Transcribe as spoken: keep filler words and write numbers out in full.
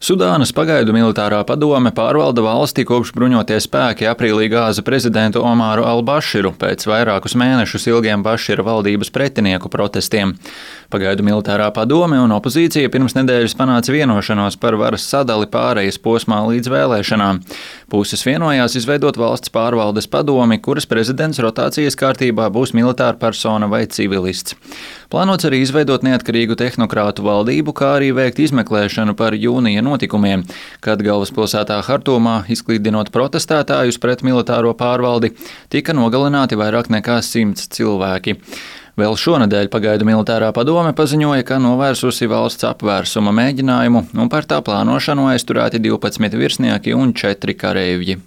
Sudānas pagaidu militārā padome pārvalda valsti, kopš bruņotie spēki aprīlī gāza prezidentu Omāru al-Baširu pēc vairākus mēnešus ilgiem Bašira valdības pretinieku protestiem. Pagaidu militārā padome un opozīcija pirms nedēļas panāca vienošanos par varas sadali pārejas posmā līdz vēlēšanām. Puses vienojās izveidot valsts pārvaldes padomi, kuras prezidents rotācijas kārtībā būs militāra persona vai civilists. Plānots arī izveidot neatkarīgu tehnokrātu valdību, kā arī veikt izmeklēšanu par jūnija notikumiem, kad galvaspilsētā Hartumā, izklīdinot protestētājus pret militāro pārvaldi, tika nogalināti vairāk nekā simts cilvēki. Vēl šonedēļ pagaidu militārā padome paziņoja, ka novērsusi valsts apvērsuma mēģinājumu un par tā plānošanu aizturēti divpadsmit virsnieki un četri kareivji.